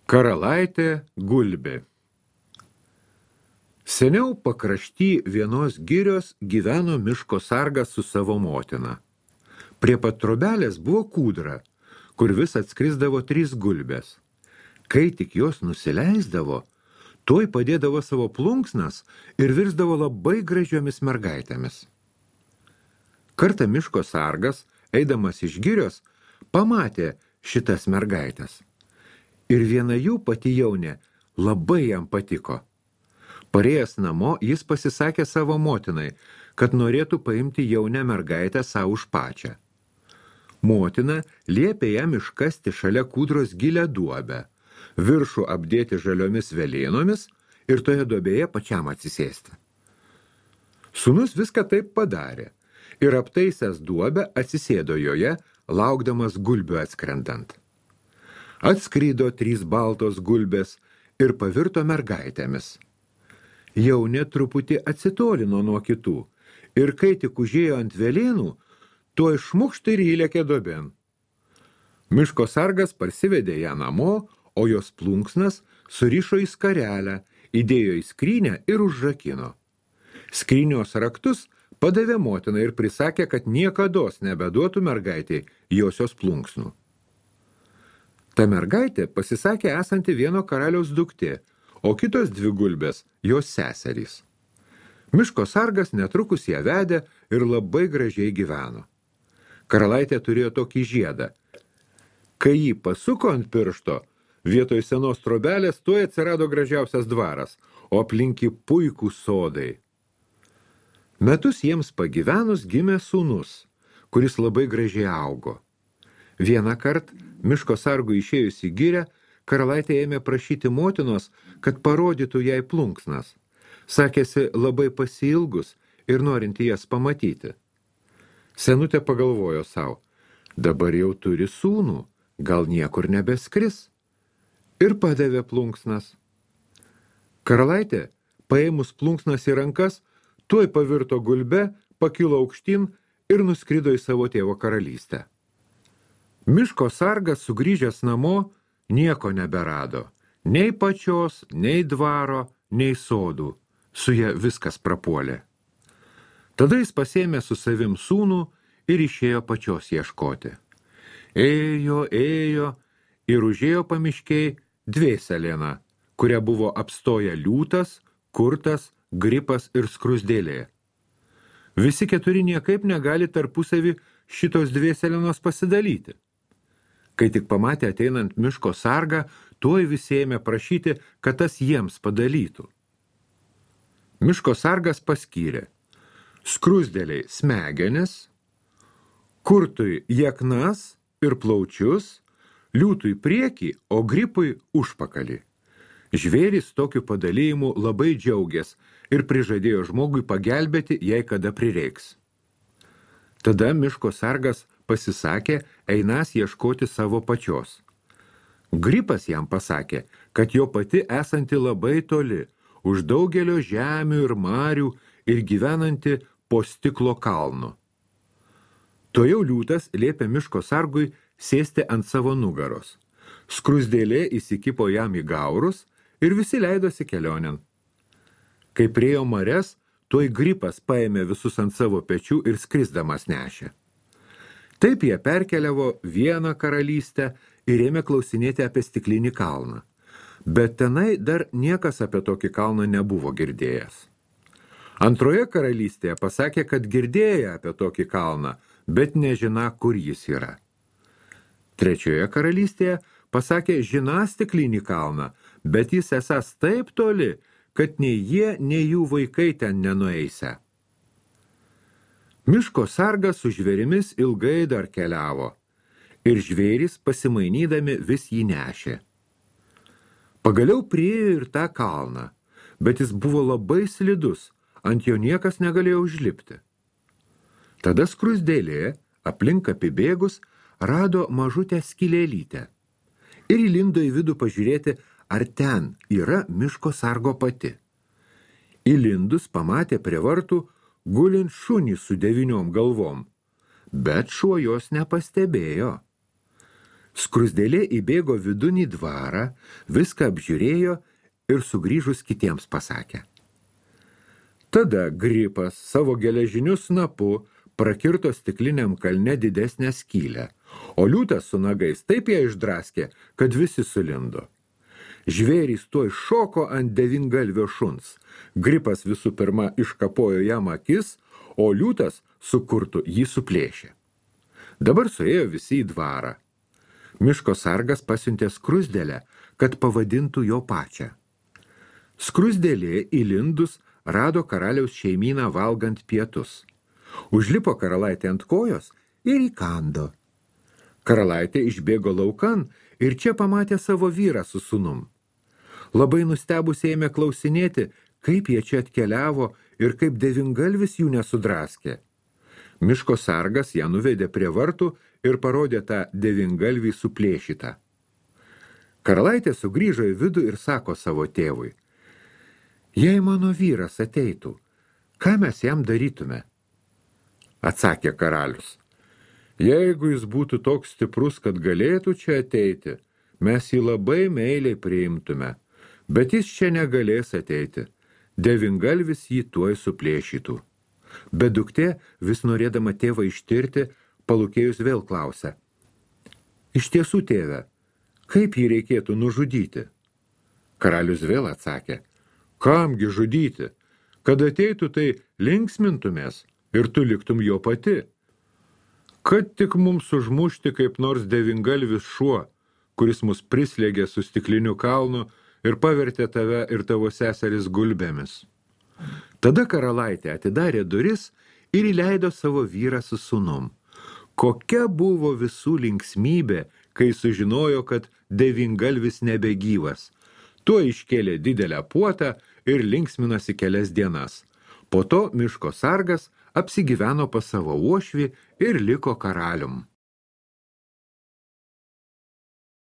Karalaitė gulbė. Seniau pakrašty vienos girios gyveno miško sargas su savo motina. Prie pat trobelės buvo kūdra, kur vis atskrisdavo 3 gulbės. Kai tik jos nusileisdavo, tuoj padėdavo savo plunksnas ir virsdavo labai gražiomis mergaitėmis. Kartą miško sargas, eidamas iš girios, pamatė šitas mergaitės. Ir viena jų, pati jaunė, labai jam patiko. Parėjęs namo, jis pasisakė savo motinai, kad norėtų paimti jaunę mergaitę savo už pačią. Motina liepė jam iškasti šalia kūdros gilią duobę, viršų apdėti žaliomis velėnomis ir toje duobėje pačiam atsisėsti. Sūnus viską taip padarė ir aptaisęs duobę atsisėdo joje, laukdamas gulbių atskrendant. Atskrido 3 baltos gulbės ir pavirto mergaitėmis. Jaunė truputį atsitolino nuo kitų ir kai tik užėjo ant velėnų, tuoj šmukšt ir įlėkė duobėn. Miško sargas parsivedė ją namo, o jos plunksnas surišo į skarelę, įdėjo į skrynę ir užrakino. Skrynios raktus padavė motinai ir prisakė, kad niekados nebeduotų mergaitei josios plunksnų. Ta mergaitė pasisakė esanti vieno karaliaus duktė, o kitos 2 gulbės jos seserys. Miško sargas netrukus ją vedė ir labai gražiai gyveno. Karalaitė turėjo tokį žiedą. Kai jį pasuko ant piršto, vietoj senos trobelės tuoj atsirado gražiausias dvaras, o aplink puikūs sodai. Metus jiems pagyvenus gimė sūnus, kuris labai gražiai augo. Vieną kart, miško sargui išėjus į girią, karalaitė ėmė prašyti motinos, kad parodytų jai plunksnas. Sakėsi labai pasiilgus ir norinti jas pamatyti. Senutė pagalvojo savo, dabar jau turi sūnų, gal niekur nebeskris. Ir padavė plunksnas. Karalaitė, paėmus plunksnas į rankas, tuoj pavirto gulbe, pakilo aukštyn ir nuskrido į savo tėvo karalystę. Miško sargas sugrįžęs namo nieko neberado. Nei pačios, nei dvaro, nei sodų. Su ja viskas prapuolė. Tada jis pasėmė su savim sūnų ir išėjo pačios ieškoti. Ėjo ir užėjo pamiškiai dvėselėną, kuria buvo apstoję liūtas, kurtas, gripas ir skrusdėlė. Visi 4 niekaip negali tarpusavį šitos dvėselėnos pasidalyti. Kai tik pamatė ateinant miško sargą, tuoj visi ėmė prašyti, kad tas jiems padalytų. Miško sargas paskyrė skrusdėliai smegenis, kurtui jeknas ir plaučius, liūtui priekį, o gripui užpakalį. Žvėris tokiu padalyjimu labai džiaugės ir prižadėjo žmogui pagelbėti, jei kada prireiks. Tada miško sargas pasisakė, einas ieškoti savo pačios. Gripas jam pasakė, kad jo pati esanti labai toli, už daugelio žemių ir marių ir gyvenanti po stiklo kalnu. Tojau liūtas liepė miško sargui sėsti ant savo nugaros. Skrusdėlė įsikipo jam į gaurus ir visi leidosi kelionėn. Kai priėjo marias, tuoj gripas paėmė visus ant savo pečių ir skrisdamas nešė. Taip jie perkeliavo vieną karalystę ir ėmė klausinėti apie stiklinį kalną. Bet tenai dar niekas apie tokį kalną nebuvo girdėjęs. Antroje karalystėje pasakė, kad girdėjo apie tokį kalną, bet nežina, kur jis yra. Trečioje karalystėje pasakė, žina stiklinį kalną, bet jis esas taip toli, kad nei jie, nei jų vaikai ten nenueisę. Miško sargas su žvėrimis ilgai dar keliavo, ir žvėris pasimainydami vis jį nešė. Pagaliau priėjo ir tą kalną, bet jis buvo labai slidus, ant jo niekas negalėjo užlipti. Tada skrusdėlė, aplink apibėgus, rado mažutę skylėlytę ir įlindo į vidų pažiūrėti, ar ten yra miško sargo pati. Įlindus pamatė prie vartų gulint šunį su 9 galvom, bet šuo jos nepastebėjo. Skrusdėlė įbėgo vidun į dvarą, viską apžiūrėjo ir sugrįžus kitiems pasakė. Tada Gripas savo geležiniu snapu prakirto stikliniam kalne didesnę skylę, o liūtas su nagais taip ją išdraskė, kad visi sulindo. Žvėrys tuoj šoko ant devyngalvio šuns. Gripas visų pirma iškapojo jam akis, o liūtas su kurtu jį suplėšė. Dabar suėjo visi į dvarą. Miško sargas pasiuntė skrusdėlę, kad pavadintų jo pačią. Skrusdėlė įlindus rado karaliaus šeimyną valgant pietus. Užlipo karalaitė ant kojos ir įkando. Karalaitė išbėgo laukan ir čia pamatė savo vyrą su sūnum. Labai nustebusiai ėmė klausinėti, kaip jie čia atkeliavo ir kaip devyngalvis jų nesudraskė. Miško sargas ją nuvedė prie vartų ir parodė tą devyngalvį suplėšytą. Karalaitė sugrįžo į vidų ir sako savo tėvui, jei mano vyras ateitų, ką mes jam darytume? Atsakė karalius, jeigu jis būtų toks stiprus, kad galėtų čia ateiti, mes jį labai meiliai priimtume, bet jis čia negalės ateiti, devyngalvis jį tuoj suplėšytų. Bet duktė, vis norėdama tėvą ištirti, palūkėjus vėl klausė. Iš tiesų, tėve, kaip jį reikėtų nužudyti? Karalius vėl atsakė, kamgi žudyti? Kad ateitų, tai linksmintumės ir tu liktum jo pati. Kad tik mums užmušti kaip nors devyngalvis šuo, kuris mus prislėgė su stikliniu kalnu ir pavertė tave ir tavo seseris gulbėmis. Tada karalaitė atidarė duris ir įleido savo vyrą su sūnum. Kokia buvo visų linksmybė, kai sužinojo, kad devyngalvis nebegyvas. Tuo iškėlė didelę puotą ir linksminosi kelias dienas. Po to miško sargas apsigyveno pas savo uošvį ir liko karalium.